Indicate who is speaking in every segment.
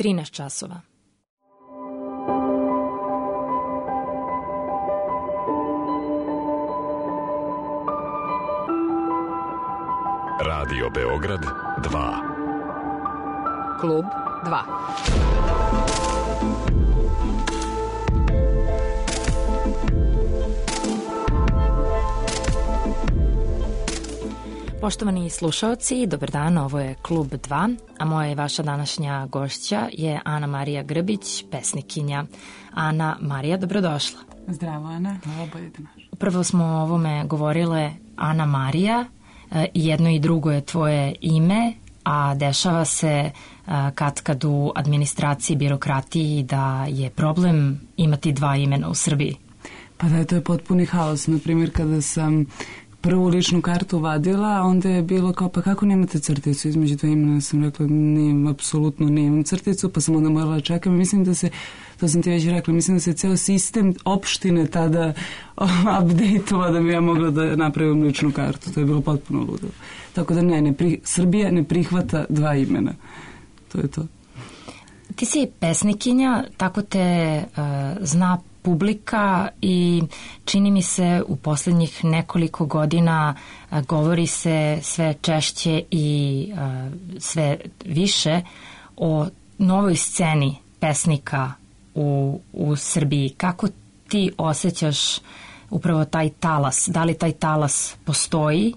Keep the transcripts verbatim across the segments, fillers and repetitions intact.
Speaker 1: trinaest časova.
Speaker 2: Radio Beograd dva.
Speaker 1: Klub dva. Poštovani slušaoci, dobar dan, ovo je Klub dva, a moja i vaša današnja gošća je Ana Marija Grbić, pesnikinja. Ana Marija, dobrodošla.
Speaker 3: Zdravo, Ana, hvala, bolje da naš.
Speaker 1: Upravo smo o ovome govorile. Ana Marija, jedno i drugo je tvoje ime, a dešava se kad kad u administraciji, birokratiji da je problem imati dva imena u Srbiji.
Speaker 3: Pa da, to je potpuni haos. Naprimjer, kada sam prvu ličnu kartu vadila, onda je bilo kao, pa kako nemate crticu između dva imena? Sam rekla, nijem, apsolutno nemam crticu, pa sam onda morala čekati. Mislim da se, to sam ti već rekla, mislim da se ceo sistem opštine tada update-ova da bi ja mogla da napravim ličnu kartu. To je bilo potpuno ludo. Tako da ne, ne pri, Srbija ne prihvata dva imena. To je to.
Speaker 1: Ti si pesnikinja, tako te uh, zna publika i čini mi se u poslednjih nekoliko godina uh, govori se sve češće i uh, sve više o novoj sceni pesnika u, u Srbiji. Kako ti osjećaš upravo taj talas? Da li taj talas postoji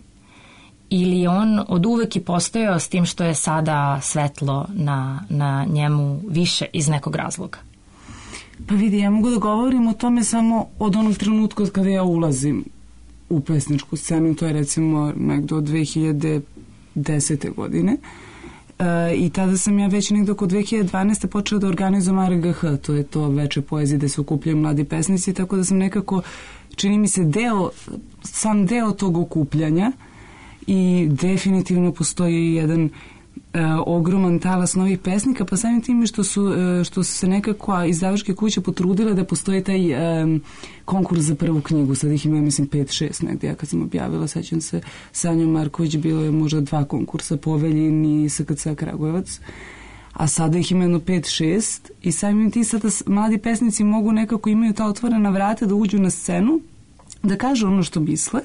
Speaker 1: ili on od uvek i postojao s tim što je sada svetlo na, na njemu više iz nekog razloga?
Speaker 3: Pa vidi, ja mogu da govorim o tome samo od onog trenutka kada ja ulazim u pesničku scenu, to je recimo nekdo od dve hiljade desete. godine. E, I tada sam ja već nekdo oko dve hiljade dvanaeste. počela da organizujem R G H, to je to veče poezije gde se okupljaju mladi pesnici, tako da sam nekako, čini mi se, deo, sam deo tog okupljanja. I definitivno postoji jedan e, ogroman talas novih pesnika, pa samim tim što su, e, što su se nekako izdavačke kuće potrudile da postoji taj e, konkurs za prvu knjigu. Sad ih ima, mislim, pet šest negdje. Ja kad sam objavila, sećam se, Sanjo Marković, bilo je možda dva konkursa, Poveljin i S K C Kragujevac. A sada ih ima jedno pet šest i samim tim sada mladi pesnici mogu nekako, imaju ta otvorena vrata da uđu na scenu, da kažu ono što misle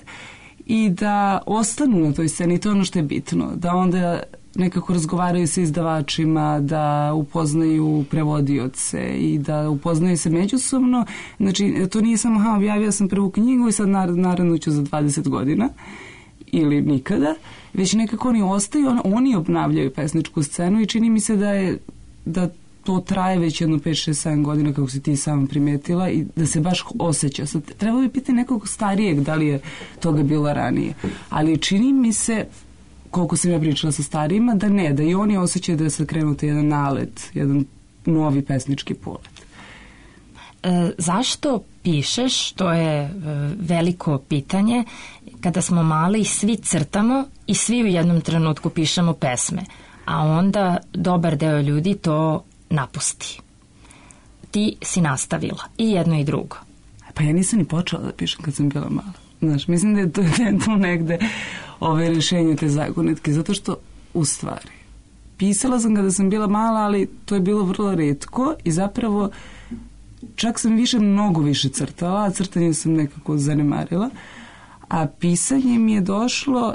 Speaker 3: i da ostanu na toj sceni. To je ono što je bitno, da onda nekako razgovaraju sa izdavačima, da upoznaju prevodioce i da upoznaju se međusobno. Znači, to nije samo, ha, objavila sam prvu knjigu i sad naravno ću za dvadeset godina ili nikada, već nekako oni ostaju, on, oni obnavljaju pesničku scenu i čini mi se da je, da to traje već jedno pet šest sedam godina, kako si ti sama primetila, i da se baš osjeća. Sad, treba bi pitati nekog starijeg da li je toga bilo ranije. Ali čini mi se, koliko sam ja pričala sa starijima, da ne, da i oni osjećaju da se krenuti jedan nalet, jedan novi pesnički polet.
Speaker 1: E, zašto pišeš? To je e, veliko pitanje. Kada smo mali, svi crtamo i svi u jednom trenutku pišemo pesme, a onda dobar deo ljudi to napusti. Ti si nastavila i jedno i drugo.
Speaker 3: Pa ja nisam ni počela da pišem kad sam bila mala. Znaš, mislim da je to, da je to negde ove rešenje te zagonetke, zato što u stvari pisala sam kada sam bila mala, ali to je bilo vrlo retko i zapravo čak sam više, mnogo više crtala, a crtanje sam nekako zanemarila, a pisanje mi je došlo,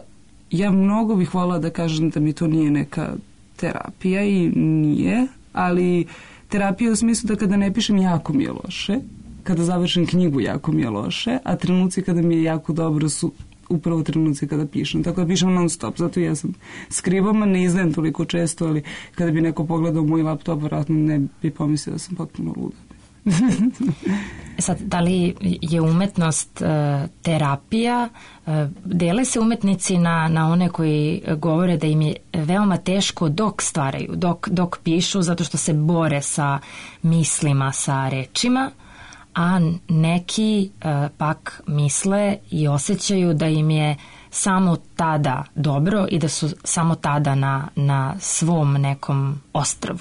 Speaker 3: ja mnogo bih voljela da kažem da mi to nije neka terapija i nije, ali terapija u smislu da kada ne pišem jako mi je loše, kada završim knjigu jako mi je loše, a trenuci kada mi je jako dobro su upravo trenuci kada pišem. Tako da pišem non stop, zato ja sam skrivama, ne izdajem toliko često, ali kada bi neko pogledao moj laptop, vjerojatno ne bi pomislio da sam potpuno luda.
Speaker 1: Sad, da li je umetnost uh, terapija? Uh, dele se umetnici na, na one koji govore da im je veoma teško dok stvaraju, dok, dok pišu, zato što se bore sa mislima, sa rečima, a neki uh, pak misle i osjećaju da im je samo tada dobro i da su samo tada na, na svom nekom ostrvu.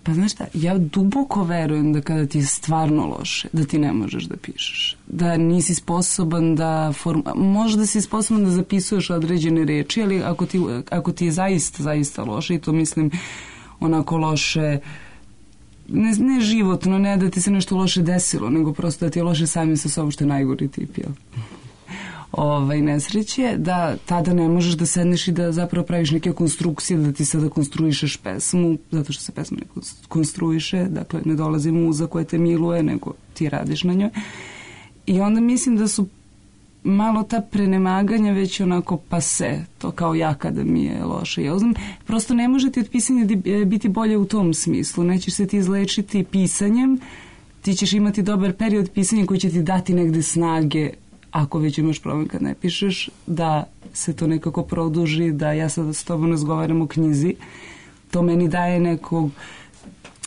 Speaker 3: Pa znaš šta, ja duboko verujem da kada ti je stvarno loše, da ti ne možeš da pišeš. Da nisi sposoban da... Form... Možda si sposoban da zapisuješ određene reči, ali ako ti, ako ti je zaista, zaista loše, i to mislim onako loše, ne, ne životno, ne da ti se nešto loše desilo, nego prosto da ti je loše samim sa sobom, što je najgori tip, jel? Ovaj, nesreće, da tada ne možeš da sedneš i da zapravo praviš neke konstrukcije, da ti sada konstruišeš pesmu, zato što se pesma ne konstruiše, dakle ne dolazi muza koja te miluje, nego ti radiš na njoj. I onda mislim da su malo ta prenemaganja već onako pase, to kao ja kada mi je loše. Ja znam, prosto ne može ti od pisanja biti bolje u tom smislu, nećeš se ti izlečiti pisanjem, ti ćeš imati dobar period pisanja koji će ti dati negde snage, ako već imaš problem kad ne pišeš, da se to nekako produži, da ja sada s tobom razgovaram o knjizi, to meni daje nekog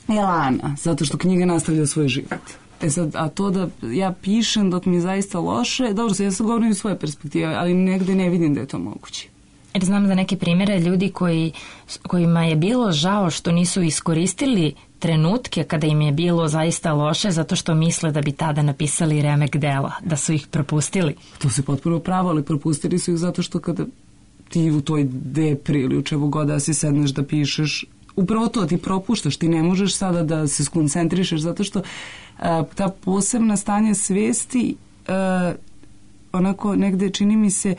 Speaker 3: elana, zato što knjiga nastavlja svoj život. E sad, a to da ja pišem dok mi je zaista loše, dobro, sad ja sad govorim iz svoje perspektive, ali negde ne vidim da je to moguće.
Speaker 1: Jer znam za neke primjere ljudi koji, kojima je bilo žao što nisu iskoristili trenutke kada im je bilo zaista loše, zato što misle da bi tada napisali remek dela, da su ih propustili.
Speaker 3: To se potpuno pravo, ali propustili su ih zato što kada ti u toj depri ili u čemu god da si sedneš da pišeš, upravo to ti propuštaš, ti ne možeš sada da se skoncentrišeš, zato što a, ta posebna stanja svesti a, onako negde čini mi se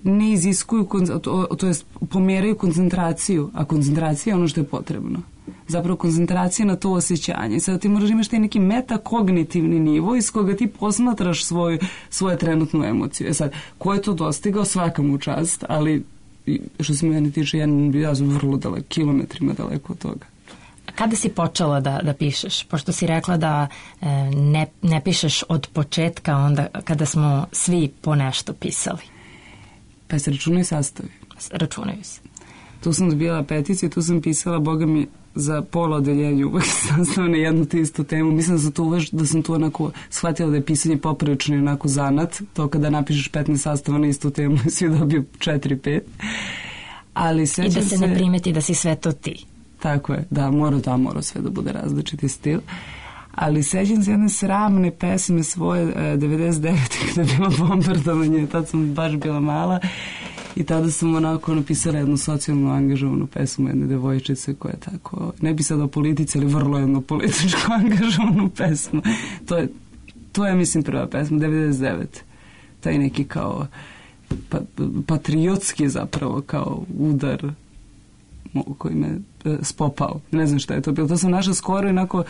Speaker 3: ne iziskuju, to, to jest pomeraju koncentraciju, a koncentracija je ono što je potrebno. Zapravo koncentracija na to osjećanje. Sada ti moraš imaš taj neki metakognitivni nivo iz koga ti posmatraš svoju, svoju trenutnu emociju. E sad, ko je to dostigao, svaka mu čast, ali što se mene tiče, ja, ja sam vrlo daleko, kilometrima daleko od toga.
Speaker 1: Kada si počela da, da pišeš? Pošto si rekla da e, ne, ne pišeš od početka, onda kada smo svi po nešto pisali.
Speaker 3: Pa se računaju sastavi.
Speaker 1: Računaju se.
Speaker 3: Tu sam dobila peticiju, tu sam pisala, boga mi, za pola odeljenja uvek sastav na jednu te istu temu. Mislim da sam tu, uveš, da sam tu onako shvatila da je pisanje poprilično i onako zanat. To kada napišeš petnaest sastava na istu temu, svi dobiju četiri pet. Ali
Speaker 1: i da se, se ne primeti da si sve to ti.
Speaker 3: Tako je, da, mora da mora sve da bude različiti stil. Ali sećam se jedne sramne pesme svoje devedeset devete kada je bilo bombardovanje, tad sam baš bila mala i tada sam onako napisala jednu socijalno angažovanu pesmu jedne devojčice koja je tako, ne bi sad o politici, ali vrlo jednu političku angažovanu pesmu. To je, to je mislim prva pesma, devedeset devete. Taj neki kao pa, patriotski zapravo kao udar koji me e, spopao. Ne znam šta je to bilo. To sam našla skoro i onako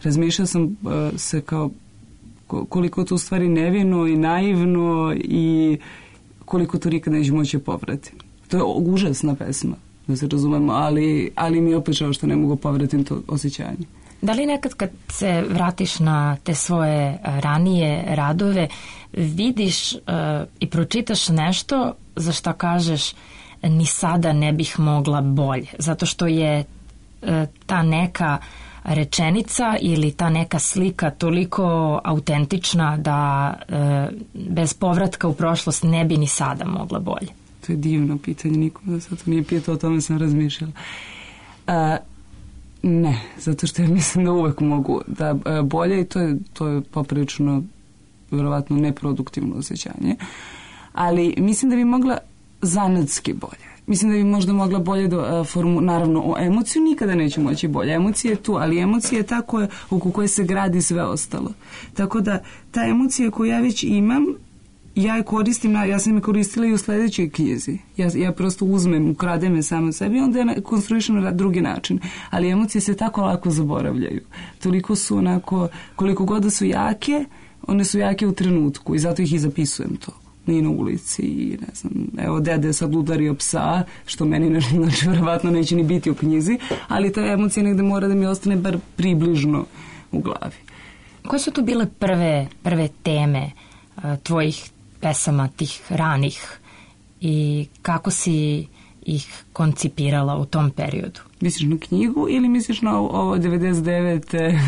Speaker 3: razmišljala sam uh, se kao koliko to u stvari nevino i naivno i koliko to nikad neće moći povrati. To je užasna pesma, da se razumemo, ali, ali mi je opet žao što ne mogu povratiti to osjećanje.
Speaker 1: Da li nekad kad se vratiš na te svoje ranije radove, vidiš uh, i pročitaš nešto za što kažeš ni sada ne bih mogla bolje, zato što je uh, ta neka rečenica ili ta neka slika toliko autentična da e, bez povratka u prošlost ne bi ni sada mogla bolje?
Speaker 3: To je divno pitanje, nikom da sad to nije pitao, o tome sam razmišljala. A, ne, zato što ja mislim da uvek mogu da a, bolje i to je, to je poprilično verovatno neproduktivno osjećanje, ali mislim da bi mogla zanatski bolje. Mislim da bi možda mogla bolje do formu, naravno o emociju nikada neću moći bolje. Emocija je tu, ali emocija je ta koja, oko koje se gradi sve ostalo. Tako da ta emocija koju ja već imam, ja je koristim, ja sam je koristila i u sledećoj knjizi. Ja, ja prosto uzmem, ukradem je samo sebi i onda je konstruišem na drugi način. Ali emocije se tako lako zaboravljaju. Toliko su onako, koliko god da su jake, one su jake u trenutku i zato ih i zapisujem to. Nije na ulici i ne znam, evo dede sad udario psa, što meni ne, znači verovatno neće ni biti u knjizi, ali ta emocija negde mora da mi ostane bar približno u glavi.
Speaker 1: Koje su tu bile prve, prve teme uh, tvojih pesama, tih ranih i kako si ih koncipirala u tom periodu?
Speaker 3: Misliš na knjigu ili misliš na ovo devedeset devete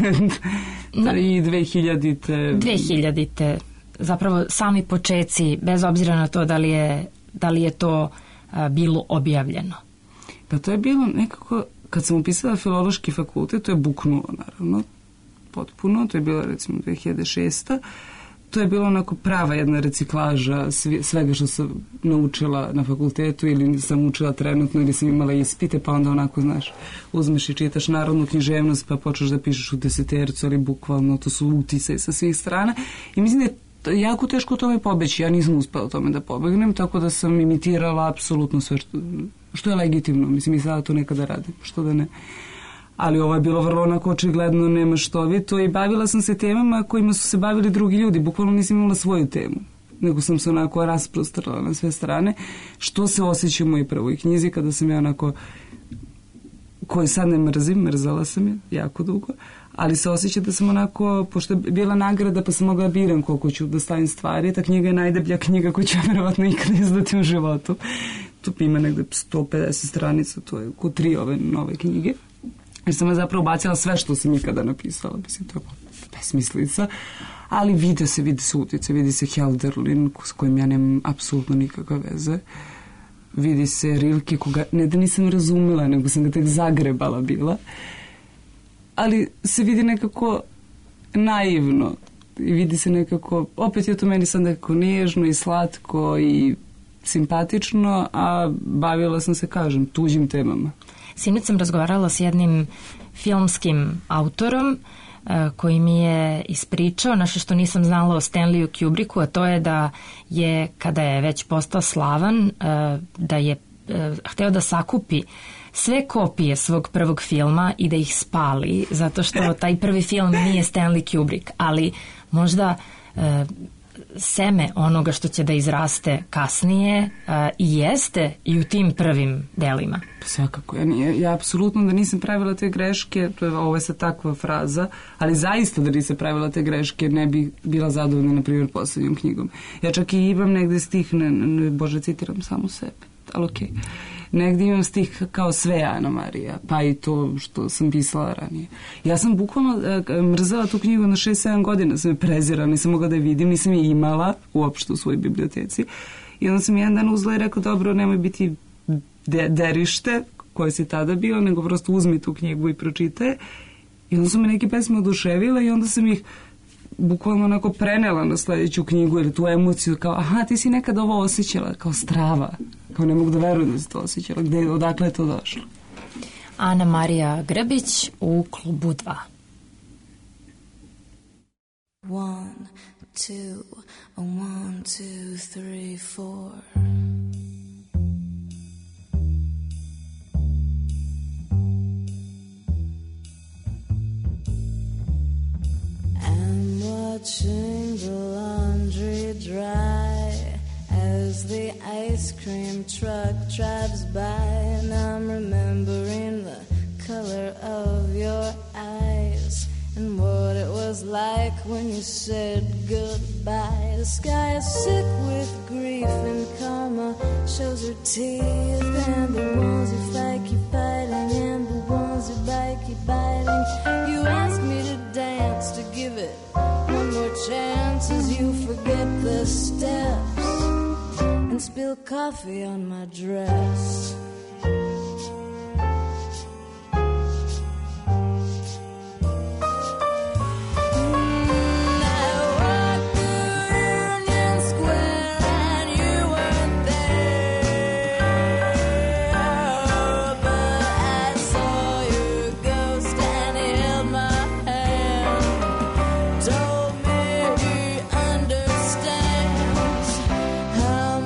Speaker 3: i dve hiljadite?
Speaker 1: dve hiljadite Zapravo sami počeci, bez obzira na to da li je, da li je to a, bilo objavljeno.
Speaker 3: Pa to je bilo nekako, kad sam upisala filološki fakultet, to je buknulo naravno, potpuno, to je bilo recimo dve hiljade šeste. to je bilo onako prava jedna reciklaža svega što sam naučila na fakultetu ili sam učila trenutno ili sam imala ispite, pa onda onako, znaš, uzmeš i čitaš narodnu književnost pa počneš da pišeš u desetercu, ali bukvalno to su utisaj sa svih strana i mislim da je jako teško o tome pobeći. Ja nisam uspela o tome da pobegnem, tako da sam imitirala apsolutno sve što, što je legitimno. Mislim, i sada to nekada radim, što da ne. Ali ovo je bilo vrlo onako očigledno nemaštovito i bavila sam se temama kojima su se bavili drugi ljudi. Bukvalno nisam imala svoju temu, nego sam se onako rasprostrala na sve strane, što se osjeća u mojoj prvoj knjizi kada sam ja onako, koju sad ne mrzim, mrzala sam je jako dugo, ali se osjeća da sam onako, pošto je bila nagrada pa sam mogla biram koliko ću da stavim stvari, ta knjiga je najdeblja knjiga koju ću verovatno ikada izdati u životu. Tu ima negde sto pedeset stranica, to je ko tri ove nove knjige. Jer sam ja zapravo bacila sve što sam ikada napisala, mislim, to je besmislica, ali vide se, vide se utice, vidi se Hölderlin, s kojim ja nemam apsolutno nikakve veze, vidi se Rilke, koga ne da nisam razumela, nego sam ga tek zagrebala bila, ali se vidi nekako naivno i vidi se nekako, opet je to meni sad nekako nježno i slatko i simpatično, a bavila sam se, kažem, tuđim temama.
Speaker 1: Sinoć sam razgovarala s jednim filmskim autorom koji mi je ispričao nešto što nisam znala o Stanleyu Kubricku, a to je da je, kada je već postao slavan, da je hteo da sakupi sve kopije svog prvog filma i da ih spali, zato što taj prvi film nije Stanley Kubrick, ali možda seme onoga što će da izraste kasnije a, i jeste i u tim prvim delima.
Speaker 3: Svakako, ja, nije, ja apsolutno da nisam pravila te greške, to je, ovo je sad takva fraza, ali zaista da nisam pravila te greške ne bi bila zadovoljna, na primjer, poslednjom knjigom. Ja čak i imam negde stih, ne, ne, Bože, citiram samo sebe, ali okej. Okay. Negdje imam stih kao sve Ana Marija, pa i to što sam pisala ranije. Ja sam bukvalno e, mrzela tu knjigu na šest sedam godina, sam je prezirala, nisam mogla da je vidim, nisam je imala uopšte u svojoj biblioteci. I onda sam jedan dan uzela i rekao, dobro, nemoj biti de, derište koje si tada bio, nego prosto uzmi tu knjigu i pročitaj. I onda su me neke pesme oduševile i onda sam ih bukvalno onako prenela na sledeću knjigu ili tu emociju, kao, aha, ti si nekad ovo osjećala, kao strava, kao ne mogu da verujem da si to osjećala, gde, odakle je to došlo?
Speaker 1: Ana Marija Grbić u Klubu dva. One, two, one, two, three, four. I'm watching the laundry dry as the ice cream truck drives by, and I'm remembering the color of your eyes and what it was like when you said goodbye. The sky is sick with grief and karma shows her teeth, and the ones who fight keep fighting and the ones who bite keep biting. You asked me to dance, to give it one more chance as you forget the steps and spill coffee on my dress.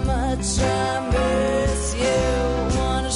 Speaker 1: Much I miss you, wanna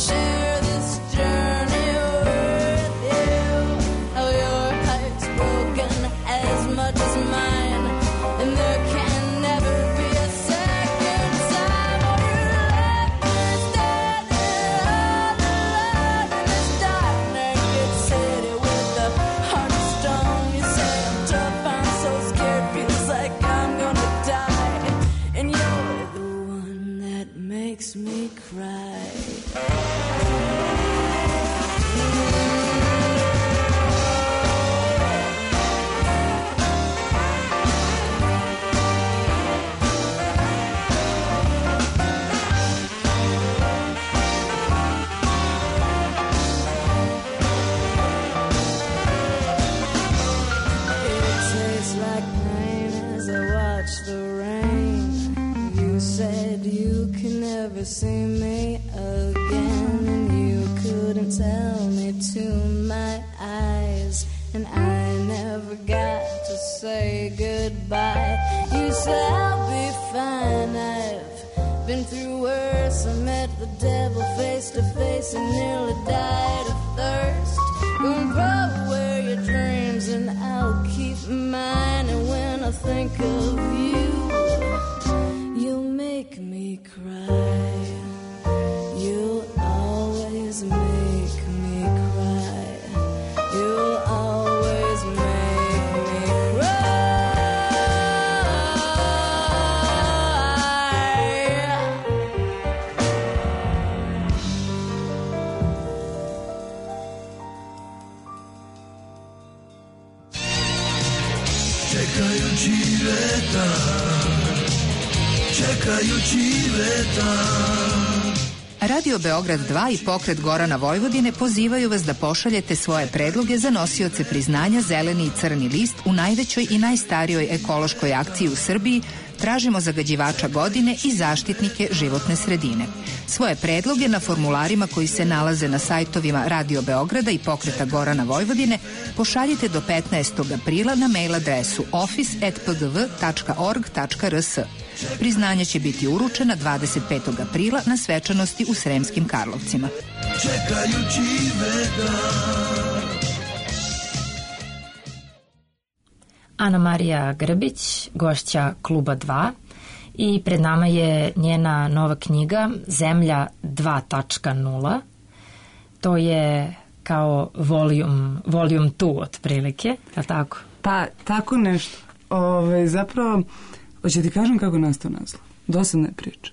Speaker 2: see me again, and you couldn't tell me to my eyes, and I never got to say goodbye. You said I'll be fine, I've been through worse. I met the devil face to face and nearly died of thirst. Gonna throw away your dreams and I'll keep mine, and when I think of you, you'll make me cry. You'll always make me cry. You'll always make me cry.
Speaker 4: Čekajući vetar, čekajući vetar.
Speaker 5: Radio Beograd dva i Pokret Gorana Vojvodine pozivaju vas da pošaljete svoje predloge za nosioce priznanja Zeleni i Crni list u najvećoj i najstarijoj ekološkoj akciji u Srbiji Tražimo zagađivača godine i zaštitnike životne sredine. Svoje predloge na formularima koji se nalaze na sajtovima Radio Beograda i Pokreta Gorana Vojvodine pošaljite do petnaestog aprila na mail adresu office at p g v tačka org tačka r s. Priznanja će biti uručena dvadeset petog aprila na svečanosti u Sremskim Karlovcima.
Speaker 4: Čekajući vetar.
Speaker 1: Ana Marija Grbić, gošća Kluba dva, i pred nama je njena nova knjiga Zemlja dva tačka nula. To je kao volume, volume dva otprilike, je li tako?
Speaker 3: Pa, tako nešto. Ove, zapravo, hoće ti kažem kako nastao naslov. Dosadna je priča.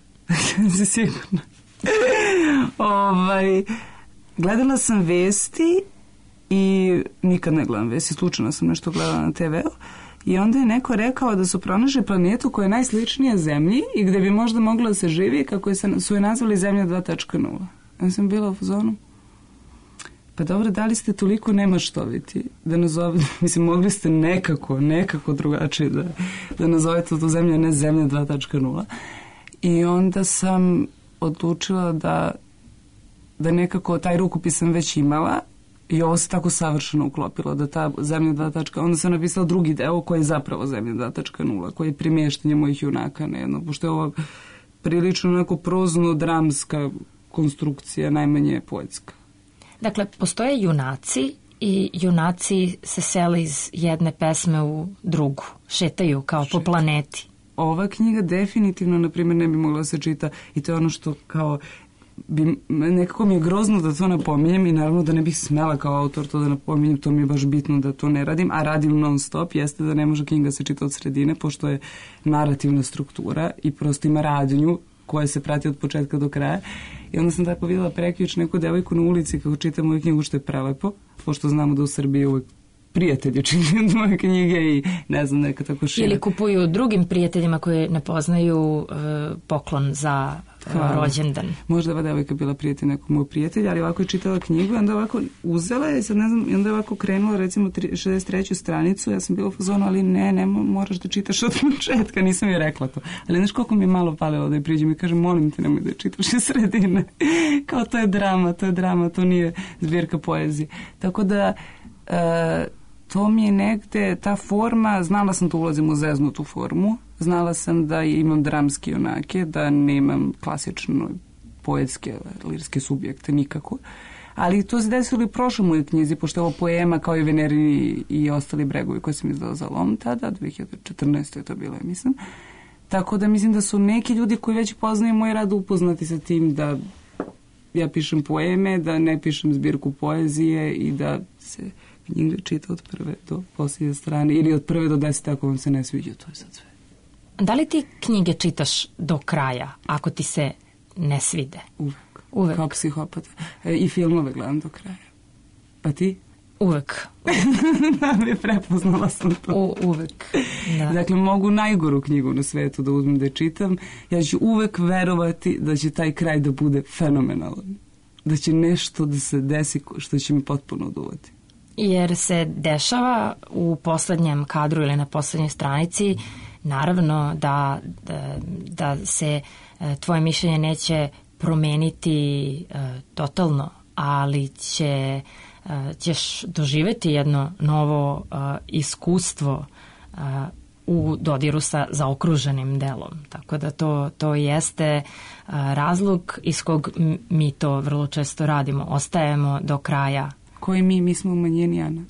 Speaker 3: Si sigurna. ovaj, gledala sam vesti i nikad ne gledam vesti, slučajno sam nešto gledala na te ve u i onda je neko rekao da su pronašli planetu koja je najsličnija Zemlji i gde bi možda mogla da se živi, kako je, su je nazvali Zemlja dva tačka nula. Ja sam bila u fazonu, pa dobro, da li ste toliko nemaštoviti da nazovete, mislim, mogli ste nekako, nekako drugačije da, da nazovete tu Zemlju, ne Zemlja dva tačka nula. I onda sam odlučila da, da nekako taj rukopis sam već imala i ovo se tako savršeno uklopilo da ta Zemlja dva tačka nula, onda sam napisala drugi deo koji je zapravo Zemlja dva tačka nula, koji je primještanje mojih junaka na jedno, pošto je ovo prilično onako prozno-dramska konstrukcija, najmanje poetska.
Speaker 1: Dakle, postoje junaci i junaci se sele iz jedne pesme u drugu, šetaju kao po planeti.
Speaker 3: Ova knjiga definitivno, na primjer, ne bi mogla da se čita i to je ono što kao bi, nekako mi je grozno da to napominjem i naravno da ne bih smela kao autor to da napominjem, to mi je baš bitno da to ne radim, a radim non stop, jeste da ne može knjiga se čita od sredine, pošto je narativna struktura i prosto ima radnju koja se prati od početka do kraja. I onda sam tako videla prekjuč neku devojku na ulici kako čita moju knjigu, što je prelepo, pošto znamo da u Srbiji uvek prijatelji čitaju moje knjige i ne znam, neka tako šira.
Speaker 1: Ili kupuju drugim prijateljima koji ne poznaju uh, poklon za uh, rođendan.
Speaker 3: Možda ova devojka bila prijatelj nekog moj prijatelja, ali ovako je čitala knjigu i onda ovako uzela je, sad ne znam, i onda je ovako krenula recimo šezdeset treću stranicu, ja sam bila u fazonu, ali ne, ne, moraš da čitaš od početka, nisam joj rekla to. Ali znaš koliko mi je malo palilo da je priđem i kažem, molim te, nemoj da je čitaš iz sredine. Kao to je drama, to je drama, to nije zbirka poezije. Tako da uh, to mi je negde, ta forma, znala sam da ulazim u zeznutu formu, znala sam da imam dramske junake, da nemam klasično poetske, lirske subjekte nikako, ali to se desilo i prošlo moje knjizi, pošto je ovo poema kao i Veneri i ostali bregovi koje sam izdala za Lom tada, dve hiljade četrnaeste je to bilo, mislim. Tako da mislim da su neki ljudi koji već poznaju moj rad upoznati sa tim da ja pišem poeme, da ne pišem zbirku poezije i da se knjiga čita od prve do posljednje strane ili od prve do desete ako vam se ne sviđa, to je sad sve.
Speaker 1: Da li ti knjige čitaš do kraja ako ti se ne svide?
Speaker 3: Uvek.
Speaker 1: Uvek.
Speaker 3: Kao psihopata. E, I filmove gledam do kraja. Pa ti?
Speaker 1: Uvek.
Speaker 3: Da, mi prepoznala sam to.
Speaker 1: U, uvek. Da.
Speaker 3: Dakle, mogu najgoru knjigu na svetu da uzmem da je čitam. Ja ću uvek verovati da će taj kraj da bude fenomenalan. Da će nešto da se desi što će mi potpuno oduvati.
Speaker 1: Jer se dešava u poslednjem kadru ili na poslednjoj stranici, naravno da, da, da se tvoje mišljenje neće promeniti uh, totalno, ali će, uh, ćeš doživeti jedno novo uh, iskustvo uh, u dodiru sa zaokruženim delom. Tako da to, to jeste uh, razlog iz kog mi to vrlo često radimo. Ostajemo do kraja.
Speaker 3: Koji mi? Mi smo u manjini, Ana.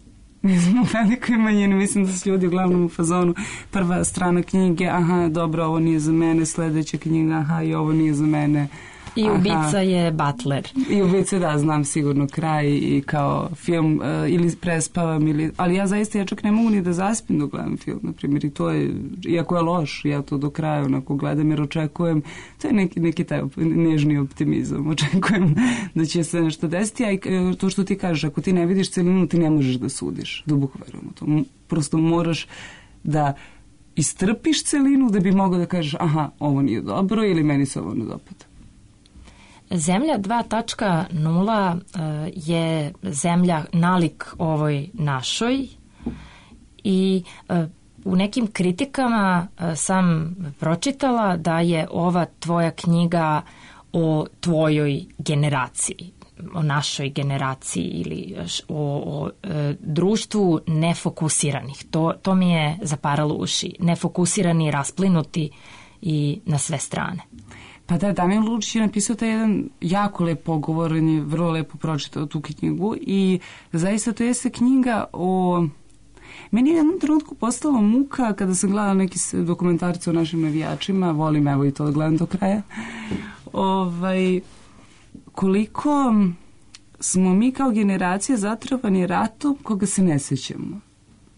Speaker 3: Mi smo u velikoj manjini. Mislim da su ljudi uglavnom u fazonu. Prva strana knjige, aha, dobro, ovo nije za mene. Sledeća knjiga, aha, i ovo nije za mene.
Speaker 1: I ubica je Butler.
Speaker 3: I ubica, da, znam sigurno kraj i kao film uh, ili prespavam, ili, ali ja zaista ja čak ne mogu ni da zaspim dok gledam film, na primjer, i to je, iako je loš, ja to do kraja onako gledam jer očekujem, to je neki, neki taj nežni optimizam, očekujem da će se nešto desiti, a i to što ti kažeš, ako ti ne vidiš celinu, ti ne možeš da sudiš, duboko verujem u to, prosto moraš da istrpiš celinu da bi mogao da kažeš, aha, ovo nije dobro ili meni se ovo ne dopada.
Speaker 1: Zemlja dva tačka nula je zemlja nalik ovoj našoj i u nekim kritikama sam pročitala da je ova tvoja knjiga o tvojoj generaciji, o našoj generaciji ili o, o e, društvu nefokusiranih. To, to mi je zaparalo uši. Nefokusirani, rasplinuti i na sve strane.
Speaker 3: Pa da, Damjan Lučić je napisao taj jedan jako lep pogovor, on je vrlo lepo pročitao tu knjigu i zaista to jeste knjiga o... Meni je jednom trenutku postala muka kada sam gledala neki dokumentarce o našim navijačima, volim evo i to da gledam do kraja, ovaj, koliko smo mi kao generacija zatrovani ratom koga se ne sećamo.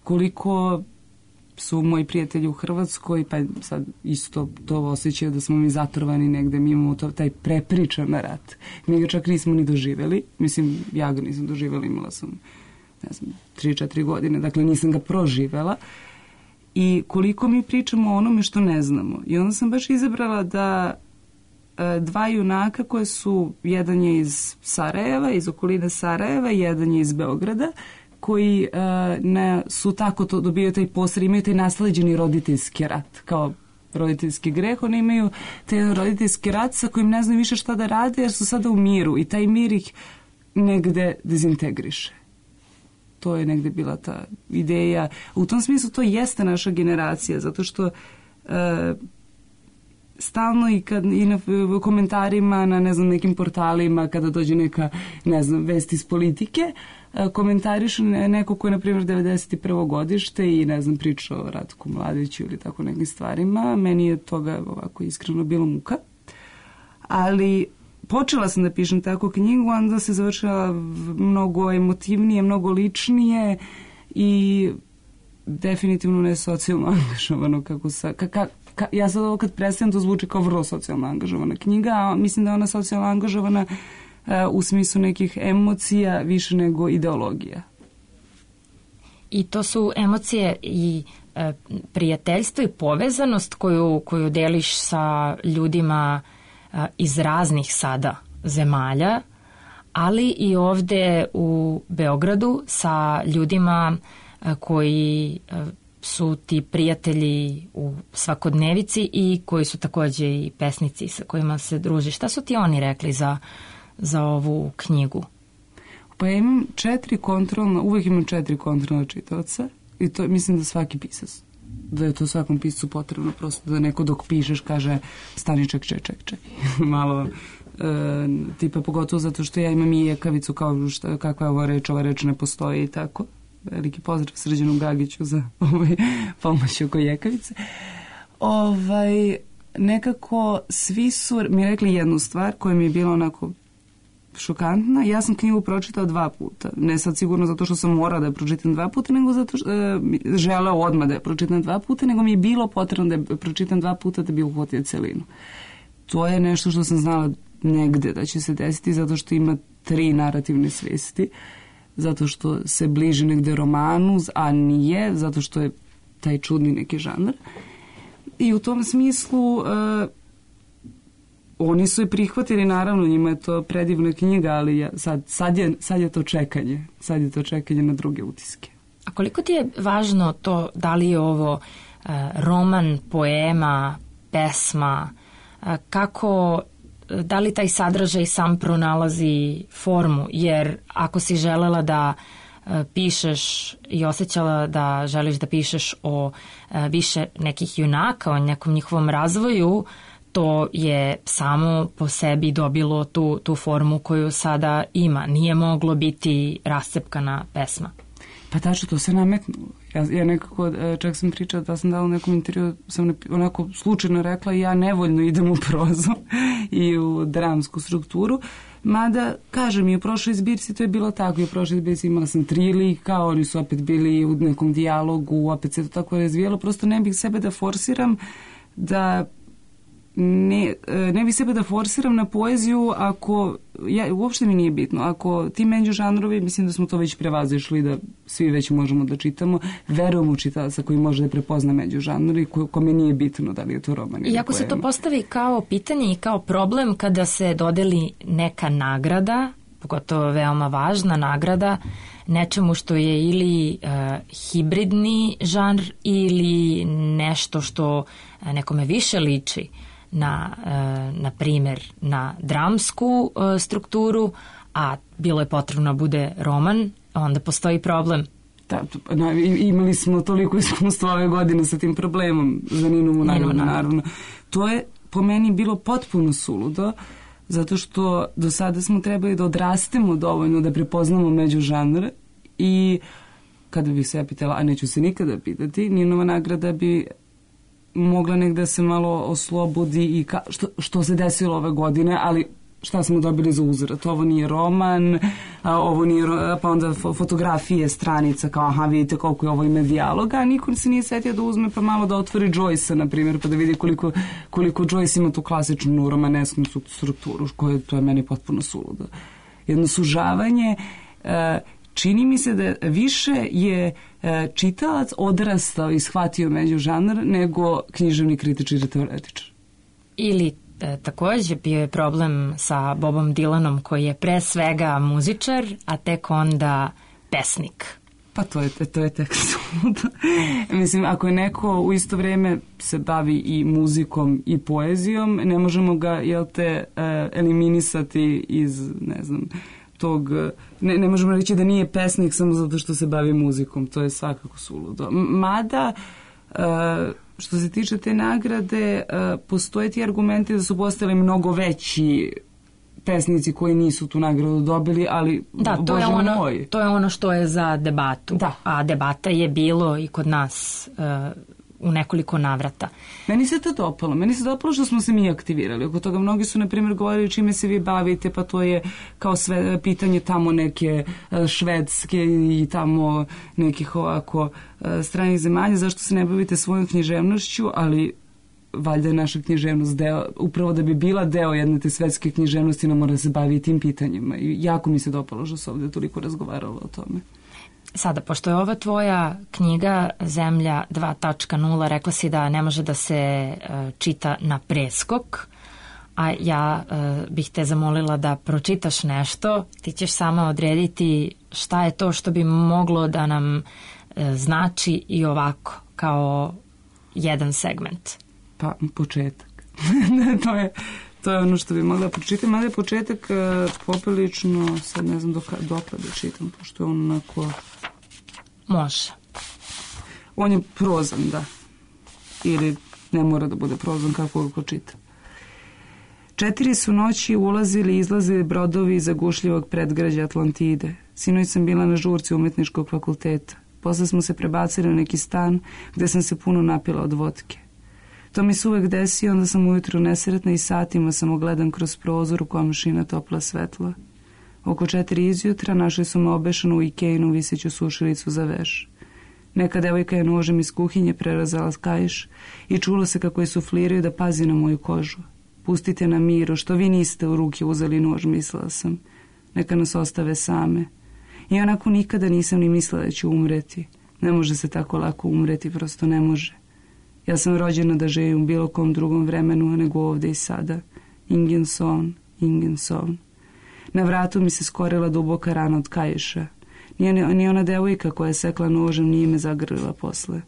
Speaker 3: Koliko su moji prijatelji u Hrvatskoj, pa sad isto to osjećaju da smo mi zatrovani negde, mi imamo to, taj prepričan rat. Mi ga čak nismo ni doživjeli, mislim, ja ga nisam doživjela, imala sam, ne znam, tri četiri godine, dakle nisam ga proživjela. I koliko mi pričamo o onome što ne znamo. I onda sam baš izabrala da e, dva junaka koje su, jedan je iz Sarajeva, iz okoline Sarajeva, jedan je iz Beograda, koji uh, ne, su tako to dobijaju taj posred, imaju taj nasleđeni roditeljski rat, kao roditeljski greh, oni imaju taj roditeljski rat sa kojim ne znaju više šta da rade jer su sada u miru i taj mir ih negde dezintegriše. To je negde bila ta ideja. U tom smislu to jeste naša generacija, zato što uh, stalno i, kad, i na komentarima na ne znam nekim portalima kada dođe neka ne znam vest iz politike komentarišu neko ko je na primjer devedeset prvo godište i ne znam priča o Ratku Mladiću ili tako nekim stvarima, meni je toga ovako iskreno bilo muka, ali počela sam da pišem tako knjigu, onda se završila mnogo emotivnije, mnogo ličnije i definitivno ne socijalno angažovano kako sa, ka, ka, ka, ja sad ovo kad predstavim to zvuči kao vrlo socijalno angažovana knjiga, a mislim da je ona socijalno angažovana uh, u smislu nekih emocija više nego ideologija.
Speaker 1: I to su emocije i uh, prijateljstvo i povezanost koju, koju deliš sa ljudima uh, iz raznih sada zemalja, ali i ovde u Beogradu sa ljudima uh, koji uh, su ti prijatelji u svakodnevici i koji su takođe i pesnici sa kojima se druži. Šta su ti oni rekli za, za ovu knjigu?
Speaker 3: Pa ja imam četiri kontrolna, uvek imam četiri kontrolna čitaoca i to mislim da svaki pisac, da je to svakom piscu potrebno prosto da neko dok pišeš kaže stani ček, ček, ček, ček. Malo e, tipa pogotovo zato što ja imam i jekavicu kao šta, kakva je ova reč, ova reč ne postoji i tako. Veliki pozdrav Srđanu Gagiću za ovaj pomoć oko jekavice. Ovaj, nekako svi su mi rekli jednu stvar koja mi je bila onako šokantna. Ja sam knjigu pročitao dva puta. Ne sad sigurno zato što sam morala da je pročitam dva puta, nego zato što e, želeo odmah da je pročitam dva puta, nego mi je bilo potrebno da je pročitam dva puta da bi uhvatio celinu. To je nešto što sam znala negde da će se desiti zato što ima tri narativne svesti. Zato što se bliži negde romanu, a nije, zato što je taj čudni neki žanr. I u tom smislu uh, oni su je prihvatili, naravno, njima je to predivna knjiga, ali ja, sad, sad, je, sad je to čekanje. Sad je to čekanje na druge utiske.
Speaker 1: A koliko ti je važno to, da li je ovo uh, roman, poema, pesma, uh, kako da li taj sadržaj sam pronalazi formu, jer ako si želela da pišeš i osjećala da želiš da pišeš o više nekih junaka, o nekom njihovom razvoju, to je samo po sebi dobilo tu, tu formu koju sada ima. Nije moglo biti rascepkana pesma.
Speaker 3: Pa tačno, to se nametnulo. Ja, ja nekako, čak sam pričala da sam dala u nekom intervju, sam onako slučajno rekla ja nevoljno idem u prozu i u dramsku strukturu, mada, kažem, i u prošloj zbirci to je bilo tako, i u prošloj zbirci imala sam tri lika, oni su opet bili u nekom dijalogu, opet se to tako razvijelo, prosto ne bih sebe da forsiram da ne, ne bih sebe da forsiram na poeziju ako, ja, uopšte mi nije bitno, ako ti međužanrovi, mislim da smo to već prevazišli, da svi već možemo da čitamo, verujem u čitalaca koji može da prepozna međužanrovi, ko, kome nije bitno da li je to roman ili
Speaker 1: I ako
Speaker 3: poema.
Speaker 1: se to postavi kao pitanje i kao problem kada se dodeli neka nagrada, pogotovo veoma važna nagrada, nečemu što je ili uh, hibridni žanr ili nešto što nekome više liči na, uh, na primjer, na dramsku uh, strukturu, a bilo je potrebno da bude roman, onda postoji problem.
Speaker 3: Da, na, imali smo toliko iskustva ove godine sa tim problemom za Ninu naravno, naravno. To je po meni bilo potpuno suludo, zato što do sada smo trebali da odrastemo dovoljno da prepoznamo međužanr i kada bih se ja pitala, a neću se nikada pitati, Ninova nagrada bi mogla negde se malo oslobodi i ka, što, što se desilo ove godine, ali šta smo dobili za uzrat? Ovo nije roman, a ovo nije, pa onda fotografije, stranica, kao aha, vidite koliko je ovo ime dijaloga, a niko se nije setio da uzme pa malo da otvori Joyce-a, na primjer, pa da vidi koliko, koliko Joyce ima tu klasičnu romanesku strukturu, koje to je meni potpuno suludo. Jedno sužavanje, čini mi se da više je čitalac odrastao i shvatio međužanr nego književni kritičar i teoretičar.
Speaker 1: Ili E, također bio je problem sa Bobom Dylanom koji je pre svega muzičar, a tek onda pesnik.
Speaker 3: Pa to je, to je tek suludo. Mislim, ako je neko u isto vrijeme se bavi i muzikom i poezijom, ne možemo ga, jel te, eliminisati iz, ne znam, tog, ne, ne možemo reći da nije pesnik samo zato što se bavi muzikom, to je svakako suludo. Mada, što se tiče te nagrade, postoje ti argumenti da su postali mnogo veći pesnici koji nisu tu nagradu dobili, ali
Speaker 1: da, to
Speaker 3: Bože
Speaker 1: je ono,
Speaker 3: moj.
Speaker 1: To je ono što je za debatu.
Speaker 3: Da.
Speaker 1: A debata je bilo i kod nas uh, u nekoliko navrata.
Speaker 3: Meni se to dopalo. Meni se dopalo što smo se mi aktivirali. Oko toga mnogi su, na primjer, govorili čime se vi bavite, pa to je kao sve pitanje tamo neke švedske i tamo nekih ovako stranih zemalja, zašto se ne bavite svojom književnošću, ali valjda je naša književnost deo, upravo da bi bila deo jedne te svetske književnosti, nam mora da se bavi i tim pitanjima. I jako mi se dopalo što se ovdje toliko razgovaralo o tome.
Speaker 1: Sada, pošto je ova tvoja knjiga Zemlja dva točka nula, rekla si da ne može da se uh, čita na preskok, a ja uh, bih te zamolila da pročitaš nešto, ti ćeš sama odrediti šta je to što bi moglo da nam uh, znači i ovako, kao jedan segment.
Speaker 3: Pa, početak. to, je, to je ono što bi mogla pročitati, mada je početak uh, poprilično, sad ne znam dok, dokle da čitam, pošto je on onako...
Speaker 1: Može.
Speaker 3: On je prozan, da. Ili ne mora da bude prozan kako ga čita. Četiri su noći ulazili i izlazili brodovi iz zagušljivog predgrađa Atlantide. Sinoć sam bila na žurci umetničkog fakulteta. Posle smo se prebacili na neki stan gde sam se puno napila od vodke. To mi se uvek desi, onda sam ujutru nesretna i satima samo gledam kroz prozor u komšina topla svetla. Oko četiri izjutra našli su me obešanu u Ikejinu viseću sušilicu za veš. Neka devojka je nožem iz kuhinje prerazala kaiš i čulo se kako je sufliraju da pazi na moju kožu. Pustite na miru, što vi niste u ruke uzeli nož, mislila sam. Neka nas ostave same. I onako nikada nisam ni mislila da ću umreti. Ne može se tako lako umreti, prosto ne može. Ja sam rođena da živim u bilo kom drugom vremenu nego ovde i sada. Ingen son, ingen son. Na vratu mi se skorila duboka rana od kaiša. Nije ni ona devojka koja je sekla nožem nije me zagrlila posle.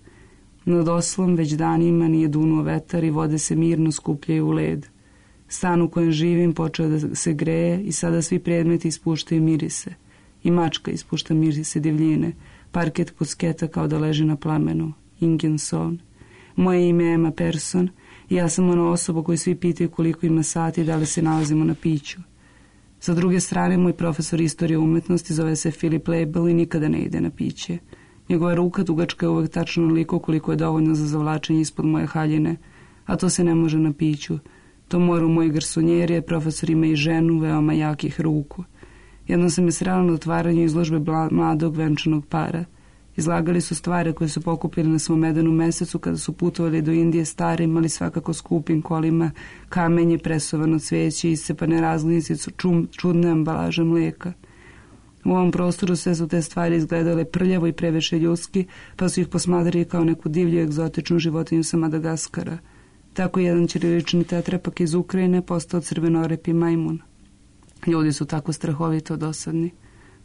Speaker 3: Nad oslom već danima nije dunuo vetar i vode se mirno skupljaju u led. Stan u kojem živim počeo da se greje i sada svi predmeti ispuštaju mirise. I mačka ispušta mirise divljine. Parket pusketa kao da leži na plamenu. Ingenson. Moje ime je Emma Person i ja sam ona osoba koju svi pitaju koliko ima sati i da li se nalazimo na piću. Sa druge strane, moj profesor istorije umetnosti zove se Philip Label i nikada ne ide na piće. Njegova ruka dugačka je uvek tačno onoliko koliko je dovoljno za zavlačenje ispod moje haljine, a to se ne može na piću. To mora u moj garsonjeri, jer profesor ima i ženu veoma jakih ruku. Jednom sam je srela na otvaranju izložbe mladog venčanog para. Izlagali su stvari koje su pokupili na svom medenom mesecu kada su putovali do Indije starim, ali svakako skupim kolima, kamenje, presovano cveće, iscepane razglednice, čudne ambalaže mlijeka. U ovom prostoru sve su te stvari izgledale prljavo i previše ljudski, pa su ih posmatrali kao neku divlju egzotičnu životinju sa Madagaskara. Tako jedan ćirilični tetrapak iz Ukrajine postao crvenorepi majmun. Ljudi su tako strahovito dosadni.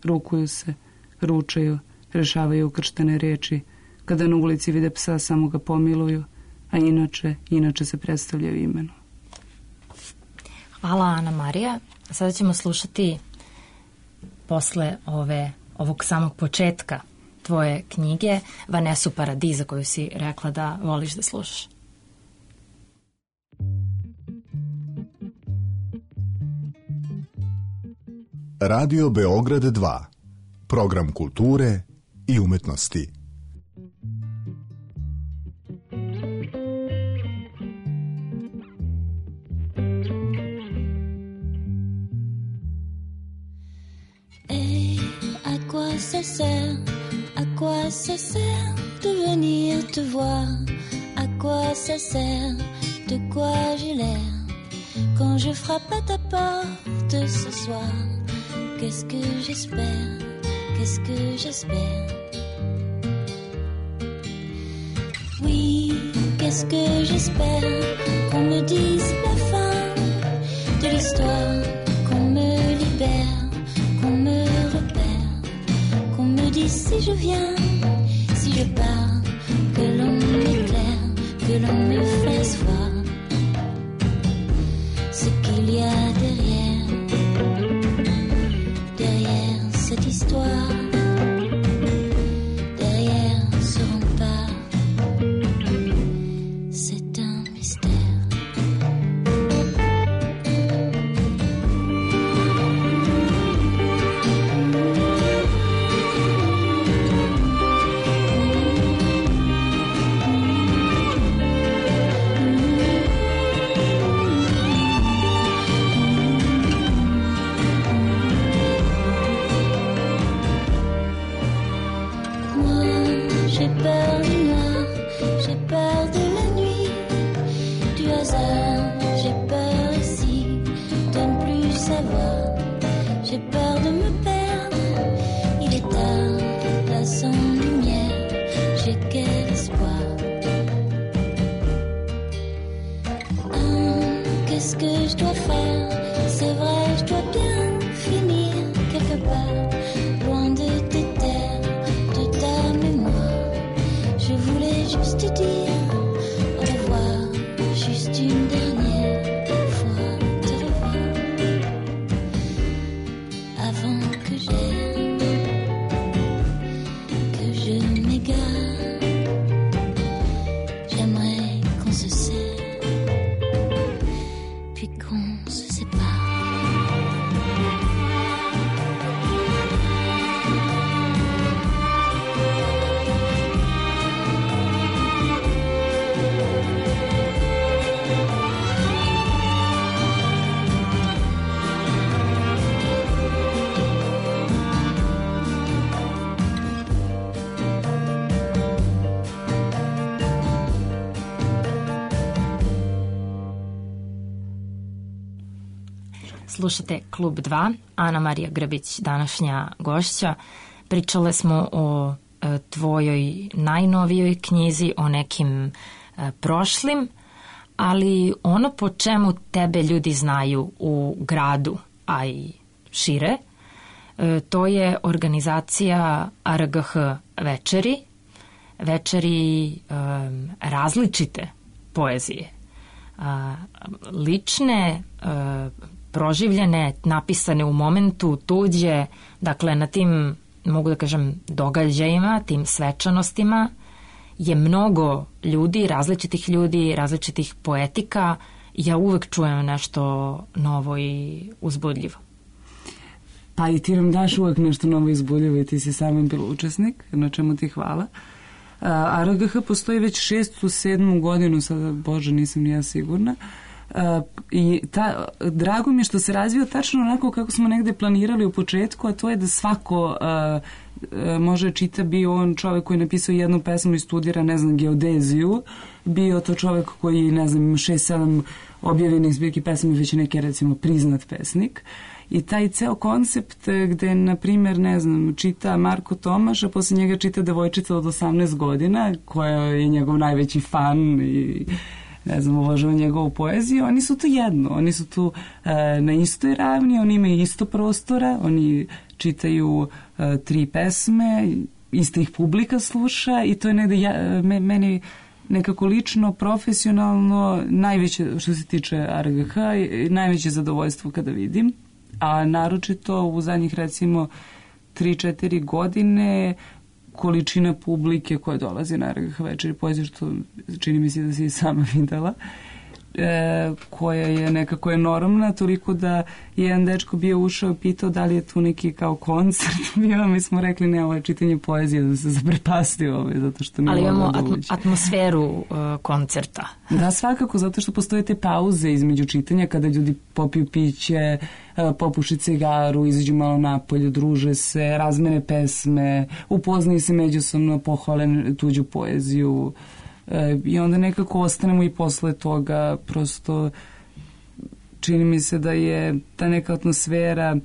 Speaker 3: Rukuju se, ručaju, rešavaju ukrštene riječi. Kada na ulici vide psa, samo ga pomiluju, a inače, inače se predstavljaju imenom.
Speaker 1: Hvala, Ana Marija. Sada ćemo slušati posle ove, ovog samog početka tvoje knjige Vanesu Paradiza, koju si rekla da voliš da slušaš.
Speaker 6: Radio Beograd dva. Program kulture i umetnosti.
Speaker 2: Et à quoi ça sert, à quoi ça sert de venir te voir, à quoi ça sert, de quoi j'ai l'air quand je frappe à ta porte ce soir. Qu'est-ce que j'espère, qu'est-ce que j'espère. Oui, qu'est-ce que j'espère, qu'on me dise la fin de l'histoire, qu'on me libère, qu'on me repère, qu'on me dise si je viens, si je pars, que l'on m'éclaire, que l'on me fasse voir ce qu'il y a derrière, derrière cette histoire, derrière ce rempart, c'est un mystère.
Speaker 1: Slušate Klub dva, Ana Marija Grbić, današnja gošća. Pričale smo o e, tvojoj najnovijoj knjizi, o nekim e, prošlim, ali ono po čemu tebe ljudi znaju u gradu, a i šire, e, to je organizacija R G H večeri, večeri e, različite poezije. a, lične, a, proživljene, napisane u momentu, tuđe, dakle na tim, mogu da kažem, događajima, tim svečanostima je mnogo ljudi, različitih ljudi, različitih poetika. Ja uvek čujem nešto novo i uzbudljivo.
Speaker 3: Pa i ti nam daš uvek nešto novo i uzbudljivo i ti si samim bila učesnik, na čemu ti hvala. A R G H postoji već šestu, sedmu godinu, sada, Bože, nisam ni ja sigurna. Uh, i ta, drago mi je što se razvio tačno onako kako smo negde planirali u početku, a to je da svako uh, uh, može čita, bio on čovek koji je napisao jednu pesmu i studira, ne znam, geodeziju, bio to čovek koji, ne znam, šest, sedam objavljenih zbirki pesmi, već neki, recimo, priznat pesnik. I taj ceo koncept gde, na primjer, ne znam, čita Marko Tomaš, a posle njega čita devojčica od osamnaest godina, koja je njegov najveći fan i ne znam, uvažava njegovu poeziju, oni su tu jedno, oni su tu e, na istoj ravni, oni imaju isto prostora, oni čitaju e, tri pesme, ista ih publika sluša i to je negde ja, me, meni nekako lično, profesionalno, najveće, što se tiče R G H, najveće zadovoljstvo kada vidim, a naročito u zadnjih, recimo, tri četiri godine količina publike koja dolazi na R G H večeri poezije, što čini mi se da si i sama videla, e, koja je nekako enormna, toliko da jedan dečko bio ušao i pitao da li je tu neki kao koncert bio, mi smo rekli ne, ovo je čitanje poezije, da se zaprepasti ovaj, zato što
Speaker 1: ali imamo
Speaker 3: atm
Speaker 1: atmosferu uh, koncerta.
Speaker 3: Da, svakako, zato što postoje te pauze između čitanja kada ljudi popiju piće, popuše cigaru, izađu malo napolje, druže se, razmene pesme, upoznaju se međusobno, pohvale tuđu poeziju e, i onda nekako ostanemo i posle toga. Prosto čini mi se da je ta neka atmosfera,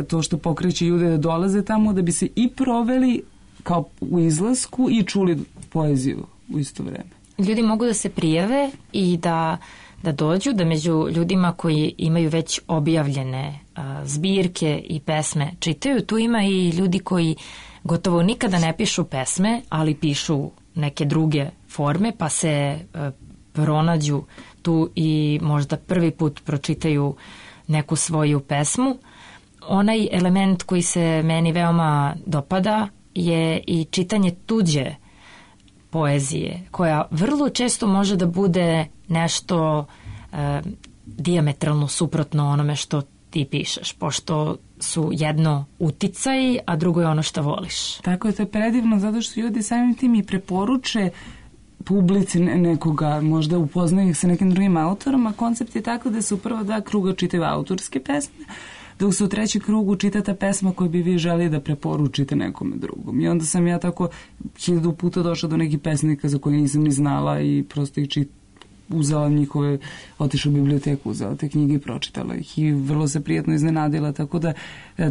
Speaker 3: to što pokreće ljude da dolaze tamo, da bi se i proveli kao u izlasku i čuli poeziju u isto vreme.
Speaker 1: Ljudi mogu da se prijave i da da dođu, da među ljudima koji imaju već objavljene a, zbirke i pesme čitaju. Tu ima i ljudi koji gotovo nikada ne pišu pesme, ali pišu neke druge forme, pa se a, pronađu tu i možda prvi put pročitaju neku svoju pesmu. Onaj element koji se meni veoma dopada je i čitanje tuđe poezije, koja vrlo često može da bude nešto e, dijametralno suprotno onome što ti pišeš, pošto su jedno uticaj, a drugo je ono što voliš.
Speaker 3: Tako je, to je predivno, zato što ljudi samim tim i preporuče publici nekoga, možda upoznaju ih sa nekim drugim autorom, a koncept je tako da se u prva dva kruga čitaju autorske pesme, dok se u treći krugu čita ta pesma koju bi vi želi da preporučite nekome drugom. I onda sam ja tako hiljadu puta došla do nekih pesnika za koje nisam ni znala i prosto ih čit, uzela njihove, otišla u biblioteku, uzela te knjige i pročitala ih i vrlo se prijatno iznenadila, tako da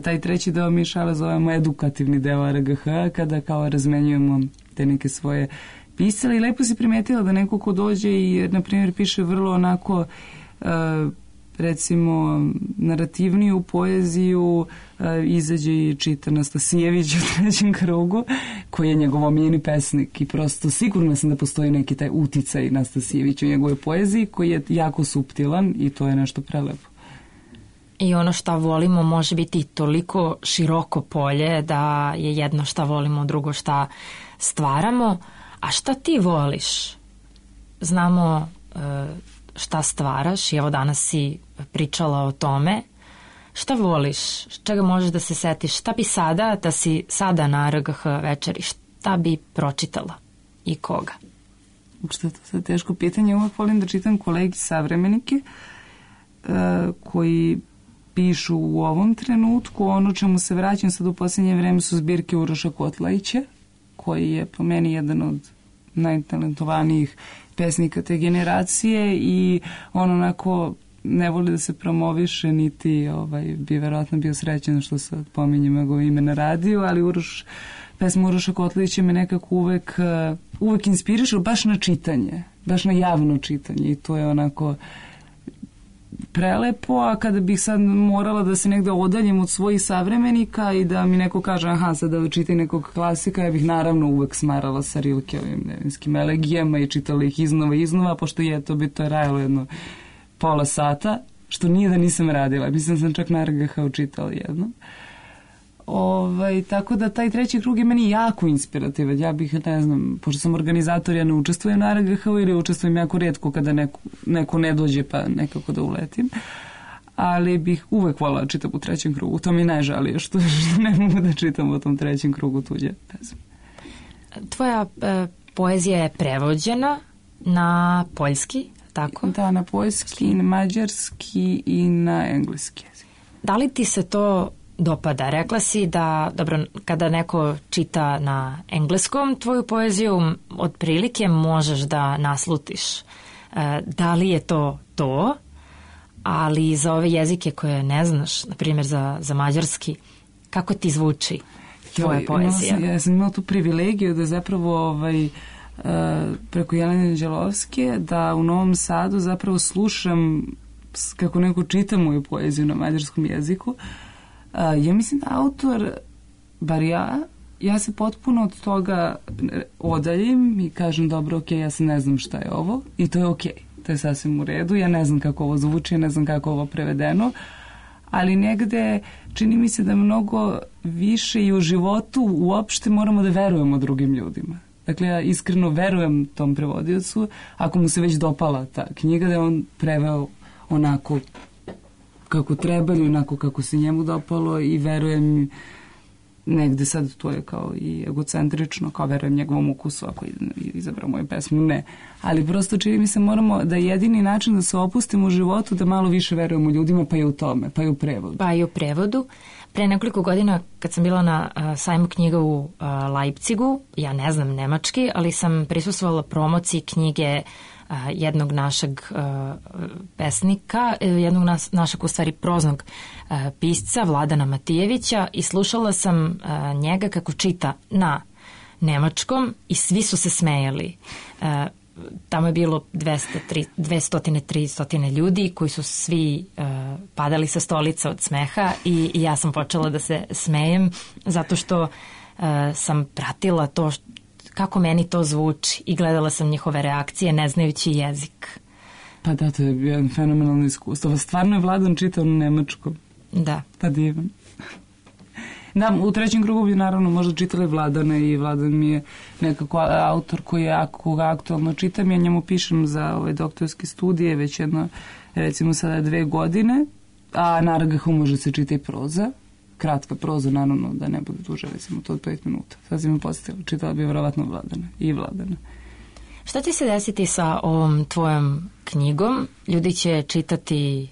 Speaker 3: taj treći deo mi šale zovemo edukativni deo R G H, kada kao razmenjujemo te neke svoje pisale i lepo si primetila da neko ko dođe i, na primjer, piše vrlo onako uh, recimo narativniju poeziju, e, izađe i čita Nastasijević u trećem krugu, koji je njegov omiljeni pesnik i prosto sigurno sam da postoji neki taj uticaj Nastasijević u njegovoj poeziji koji je jako suptilan i to je nešto prelepo.
Speaker 1: I ono šta volimo može biti toliko široko polje da je jedno šta volimo, drugo šta stvaramo. A šta ti voliš? Znamo e, šta stvaraš i evo danas si pričala o tome. Šta voliš? Čega možeš da se setiš? Šta bi sada, da si sada na R G H večeri, šta bi pročitala i koga?
Speaker 3: Što je to sad teško pitanje. Uvijek volim da čitam kolegi savremenike uh, koji pišu u ovom trenutku. Ono čemu se vraćam sad u posljednje vreme su zbirke Uroša Kotlajića, koji je po meni jedan od najtalentovanijih pesnika te generacije i on onako ne voli da se promoviše, niti ovaj, bi verovatno bio srećen što sad pominjem njegovo ime na radiju, ali Uroš, pesma Uroša Kotlajića me nekako uvek, uvek inspiriše baš na čitanje, baš na javno čitanje i to je onako prelepo, a kada bih sad morala da se negde odaljim od svojih savremenika i da mi neko kaže aha, sad da čitaj nekog klasika, ja bih naravno uvek smarala sa Rilkeovim nevinskim elegijama i čitala ih iznova i iznova, pošto je to bi to je rajalo jedno pola sata, što nije da nisam radila. Mislim sam čak na R G H učitala jedno. Ovaj, tako da taj treći krug je meni jako inspirativan. Ja bih, ne znam, pošto sam organizator, ja ne učestvujem na R G H ili učestvujem jako rijetko kada neko, neko ne dođe pa nekako da uletim. Ali bih uvek volila da čitam u trećem krugu. To mi najžalije što, što ne mogu da čitam u tom trećem krugu tuđe pesme.
Speaker 1: Tvoja e, poezija je prevođena na poljski, tako?
Speaker 3: Da, na poljski, na mađarski i na engleski jezik.
Speaker 1: Da li ti se to dopada? Rekla si da, dobro, kada neko čita na engleskom tvoju poeziju, otprilike možeš da naslutiš. E, da li je to to? Ali za ove jezike koje ne znaš, na primjer za, za mađarski, kako ti zvuči tvoja jo, poezija?
Speaker 3: Ja sam imala tu privilegiju da zapravo ovaj, preko Jelene Anđelovske da u Novom Sadu zapravo slušam kako neko čita moju poeziju na mađarskom jeziku. Ja mislim da autor, bar ja, ja se potpuno od toga odaljim i kažem dobro, ok, ja se ne znam šta je ovo i to je ok, to je sasvim u redu, ja ne znam kako ovo zvuči, ne znam kako ovo prevedeno, ali negde čini mi se da mnogo više i u životu uopšte moramo da verujemo drugim ljudima. Dakle, ja iskreno verujem tom prevodiocu, ako mu se već dopala ta knjiga, da je on preveo onako kako treba ili onako kako se njemu dopalo i verujem negde sad to je kao i egocentrično, kao verujem njegovom ukusu ako izabrao moju pesmu, ne. Ali prosto čini mi se moramo da jedini način da se opustimo u životu da malo više verujemo ljudima, pa i u tome, pa i u prevodu.
Speaker 1: Pa i u prevodu. Pre nekoliko godina kad sam bila na uh, sajmu knjiga u uh, Leipzigu, ja ne znam nemački, ali sam prisustvovala promociji knjige uh, jednog našeg uh, pesnika, jednog nas, našeg u stvari proznog uh, pisca Vladana Matijevića i slušala sam uh, njega kako čita na nemačkom i svi su se smejali. Uh, tamo je bilo dvesta, dvesta, tristo ljudi koji su svi uh, padali sa stolica od smeha i, i ja sam počela da se smejem zato što uh, sam pratila to što, kako meni to zvuči i gledala sam njihove reakcije ne znajući jezik.
Speaker 3: Pa da, to je bio fenomenalno iskustvo. Stvarno je Vladan čitao na nemačkom.
Speaker 1: Da.
Speaker 3: Pa divan. Da, u trećem krugu bi naravno možda čitali Vladana i Vladan mi je nekako autor koji je ako ga aktualno čitam, ja njemu pišem za ove doktorske studije već jedno, recimo sada dve godine, a na R G H može se čita i proza, kratka proza, naravno da ne bude duže, recimo to od pet minuta. Sad si me postavila, čitala bi vjerovatno Vladana i Vladana.
Speaker 1: Šta će se desiti sa ovom tvojom knjigom? Ljudi će čitati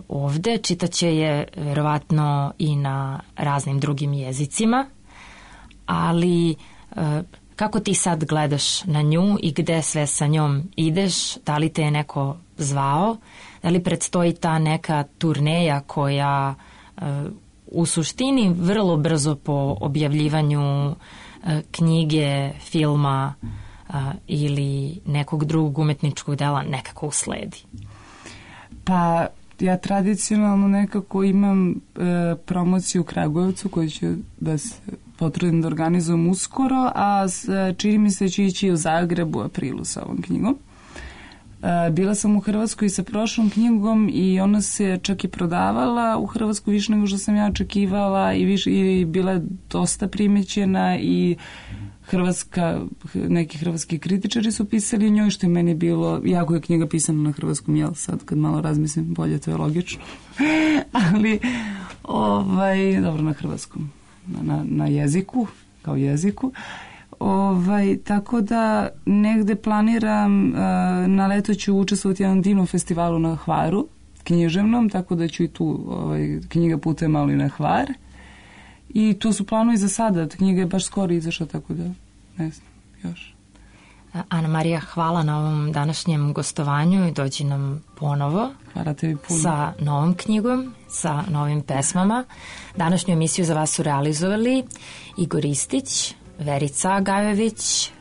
Speaker 1: ovde, čitaće je verovatno i na raznim drugim jezicima, ali kako ti sad gledaš na nju i gde sve sa njom ideš? Da li te je neko zvao? Da li predstoji ta neka turneja koja u suštini vrlo brzo po objavljivanju knjige, filma ili nekog drugog umetničkog dela nekako usledi?
Speaker 3: Pa ja tradicionalno nekako imam e, promociju u Kragujevcu koju ću da se potrudim da organizujem uskoro, a s, čini mi se da ću ići u Zagrebu u aprilu sa ovom knjigom. E, bila sam u Hrvatskoj sa prošlom knjigom i ona se čak i prodavala u Hrvatskoj više nego što sam ja očekivala i, više, i bila je dosta primećena i Hrvatska, neki hrvatski kritičari su pisali o njoj, što je meni bilo, jako je knjiga pisana na hrvatskom, jel sad kad malo razmislim bolje, to je logično, ali ovaj, dobro na hrvatskom, na, na jeziku, kao jeziku, ovaj, tako da negde planiram, na leto ću učestvovati na divnom festivalu na Hvaru, književnom, tako da ću i tu ovaj, knjiga putuje malo i na Hvar. I to su planovi za sada. Knjiga je baš skoro izašla, tako da ne znam, još.
Speaker 1: Ana Marija, hvala na ovom današnjem gostovanju i dođi nam ponovo.
Speaker 3: Hvala tebi puno.
Speaker 1: Sa novom knjigom, sa novim pesmama. Današnju emisiju za vas su realizovali Igor Istić, Verica Gajović,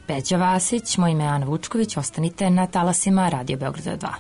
Speaker 1: Peđa Vasić, moje ime je Ana Vučković. Ostanite na talasima Radio Beograda dva.